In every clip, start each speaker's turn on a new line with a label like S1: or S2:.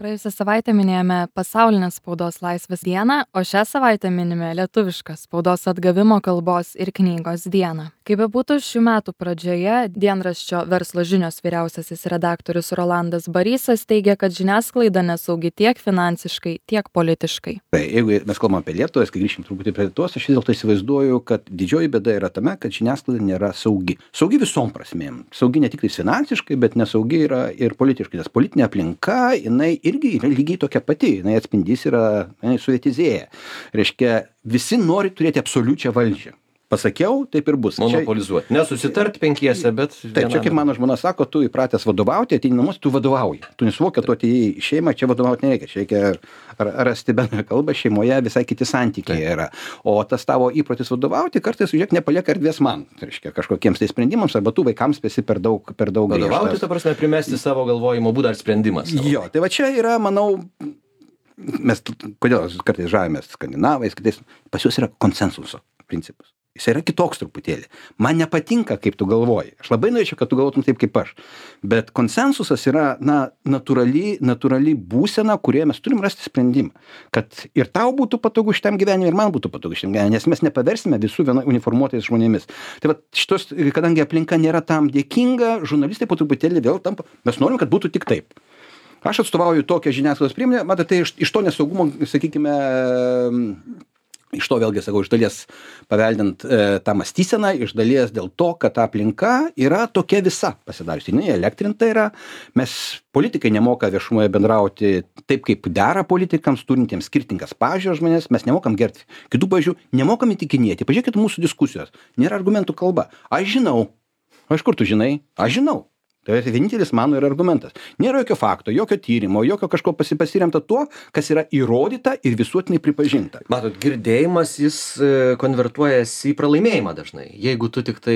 S1: Praėjusią savaitę minėjome pasaulinę spaudos laisvės dieną, o šią savaitę minime lietuvišką spaudos atgavimo kalbos ir knygos dieną. Kaip bebūtų, šių metų pradžioje dienraščio Verslo žinios vyriausiasis redaktorius Rolandas Barysas teigia, kad žiniasklaida nesaugi tiek finansiškai, tiek politiškai.
S2: Jeigu mes kalbame apie Lietuvą, kai grįšim truputį prie Lietuvos, aš vis dėlto įsivaizduoju, kad didžioji bėda yra tame, kad žiniasklaida nėra saugi. Saugi visom prasmėm. Saugi ne tik finansiškai, bet nesaugi yra ir politiškai, nes politinė aplinka, jinai irgi yra lygiai tokia pati, jinai atspindys yra, jinai suvietizėja. Reiškia, visi nori turėti absoliučią valdžią. Pasakiau, taip ir bus.
S3: Monopolizuoti. Nesusitart penkiese, bet...
S2: Taip, čia kaip mano žmona sako, tu įpratęs vadovauti, ateini namus, tu vadovauji. Tu nesuvokia, tu atėjai į šeimą, čia vadovauti nereikia. Čia reikia rasti bendrą kalbą, šeimoje visai kiti santykiai yra. O tas tavo įprotis vadovauti kartais, žiūrėk, nepalieka erdvės man. Tai reiškia, kažkokiems tai sprendimams, arba tu vaikams esi per daug
S3: vadovauti, ta prasme, primesti savo galvojimo būdą ar sprendimas.
S2: Jo, tai va čia yra, manau, mes kodėl kartais žavimės skandinavais, kitais, pas juos yra konsensuso principas. Jis yra kitoks truputėlį. Man nepatinka, kaip tu galvoji. Aš labai norėčiau, kad tu galvotum taip, kaip aš. Bet konsensusas yra, natūrali būsena, kurioje mes turim rasti sprendimą. Kad ir tau būtų patogu šitam gyvenimui, ir man būtų patogu šitam gyvenimui, nes mes nepaversime visų uniformuotais žmonėmis. Tai va, kadangi aplinka nėra tam dėkinga, žurnalistai po truputėlį vėl tampa, mes norim, kad būtų tik taip. Aš atstovauju tokią žiniasklaidos priemonę, matote, iš to nesaugumo, sakykime, iš to vėlgi, sakau, iš dalies paveldint tą mąstyseną, iš dalies dėl to, kad ta aplinka yra tokia visa pasidariusi. Jinai elektrinta yra, mes politikai nemoka viešumoje bendrauti taip, kaip dera politikams, turintiems skirtingas pažiūras žmonės, mes nemokam gerbti kitų pažiūrų, nemokam įtikinėti. Pažiūrėkit mūsų diskusijos, nėra argumentų kalba. Aš žinau. Iš kur tu žinai? Aš žinau. Tai vienintelis mano yra argumentas. Nėra jokio fakto, jokio tyrimo, jokio kažko pasiremta tuo, kas yra įrodyta ir visuotinai pripažinta.
S3: Matot, girdėjimas jis konvertuojasi į pralaimėjimą dažnai. Jeigu tu tik tai,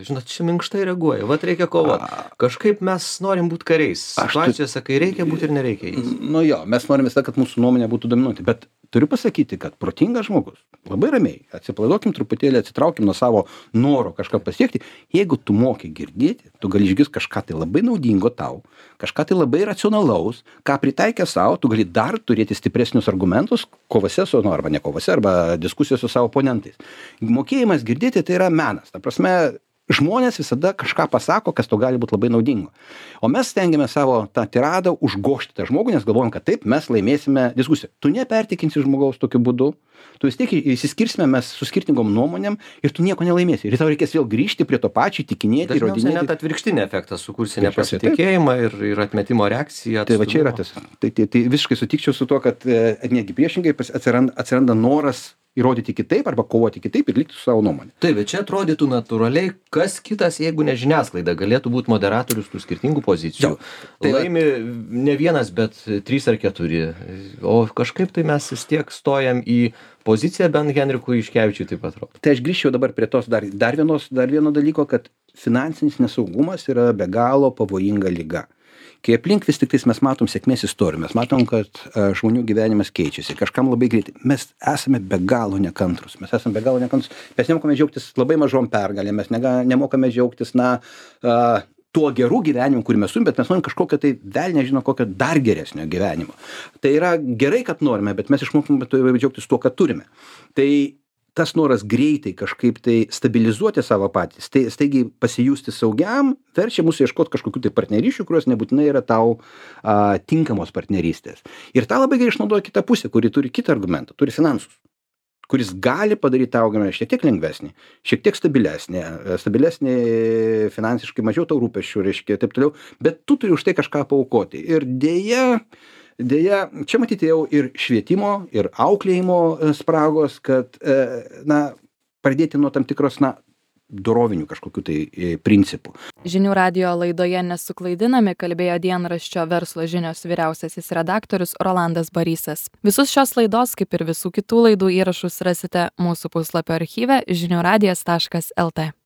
S3: žinot, čia minkštai reaguoji, vat reikia kovoti. Kažkaip mes norim būti kariais. Situacijose, kai reikia būti ir nereikia jais.
S2: Nu jo, mes norim visą, kad mūsų nuomonė būtų dominuoti, bet turiu pasakyti, kad protingas žmogus, labai ramiai, atsipalaiduokim truputėlį, atsitraukim nuo savo noro kažką pasiekti. Jeigu tu moki girdėti, tu gali išgirsti kažką tai labai naudingo tau, kažką tai labai racionalaus, ką pritaikė savo, tu gali dar turėti stipresnius argumentus kovose su, arba ne kovose, arba diskusijose su savo oponentais. Mokėjimas girdėti tai yra menas. Ta prasme, žmonės visada kažką pasako, kas to gali būti labai naudingo. O mes stengiame savo tą tiradą užgožti tą žmogų, nes galvojam, kad taip mes laimėsime diskusiją. Tu nepertikinsi žmogaus tokiu būdu, tu vis tiek įsiskirsime mes su skirtingom nuomonėm ir tu nieko nelaimėsi. Ir tau reikės vėl grįžti prie to pačio, tikinėti, įrodinėti.
S3: Net atvirkštinį efektą sukursi nepasitikėjimą ir atmetimo reakciją.
S2: Tai va čia yra tas. Tai visiškai sutikčiau su tuo, kad negi priešingai atsiranda noras įrodyti kitaip arba kovoti kitaip ir likti su savo nuomonė.
S3: Taip, bet čia atrodytų natūraliai, kas kitas, jeigu ne žiniasklaida, galėtų būti moderatorius tų skirtingų pozicijų. Tai laimi ne vienas, bet 3 ar 4. O kažkaip tai mes vis tiek stojam į poziciją, bent Henrikui Juškevičiui taip atrodo.
S2: Tai aš grįžčiau dabar prie tos dar vieno dalyko, kad finansinis nesaugumas yra be galo pavojinga liga. Kai aplink vis tik tais mes matom sėkmės istorijų, mes matom, kad žmonių gyvenimas keičiasi, kažkam labai greitai. Mes esame be galo nekantrus. Mes nemokame džiaugtis labai mažom pergalėm, mes nemokame džiaugtis, tuo gerų gyvenimu, kurį mes turime, bet mes norim kažkokio tai velnė žino kokio dar geresnio gyvenimo. Tai yra gerai, kad norime, bet mes išmokome džiaugtis tuo, kad turime. Tai tas noras greitai kažkaip tai stabilizuoti savo patys, tai staigiai pasijusti saugiam, verčia mūsų ieškoti kažkokių tai partnerysčių, kurios nebūtinai yra tau tinkamos partnerystės. Ir tą labai gerai išnaudoja kita pusė, kuri turi kitą argumentą, turi finansus, kuris gali padaryti tau gyvenimą šiek tiek lengvesnį, šiek tiek stabilesnį finansiškai, mažiau tau rūpesčių, reiškia, taip toliau, bet tu turi už tai kažką paaukoti. Ir Deja, čia matyti jau ir švietimo, ir auklėjimo spragos, kad pradėti nuo tam tikros, dorovinių kažkokių tai principų.
S1: Žinių radijo laidoje Nesuklaidinami kalbėjo dienraščio Verslo žinios vyriausiasis redaktorius Rolandas Barysas. Visus šios laidos, kaip ir visų kitų laidų įrašus rasite mūsų puslapio archyve žiniųradijas.lt.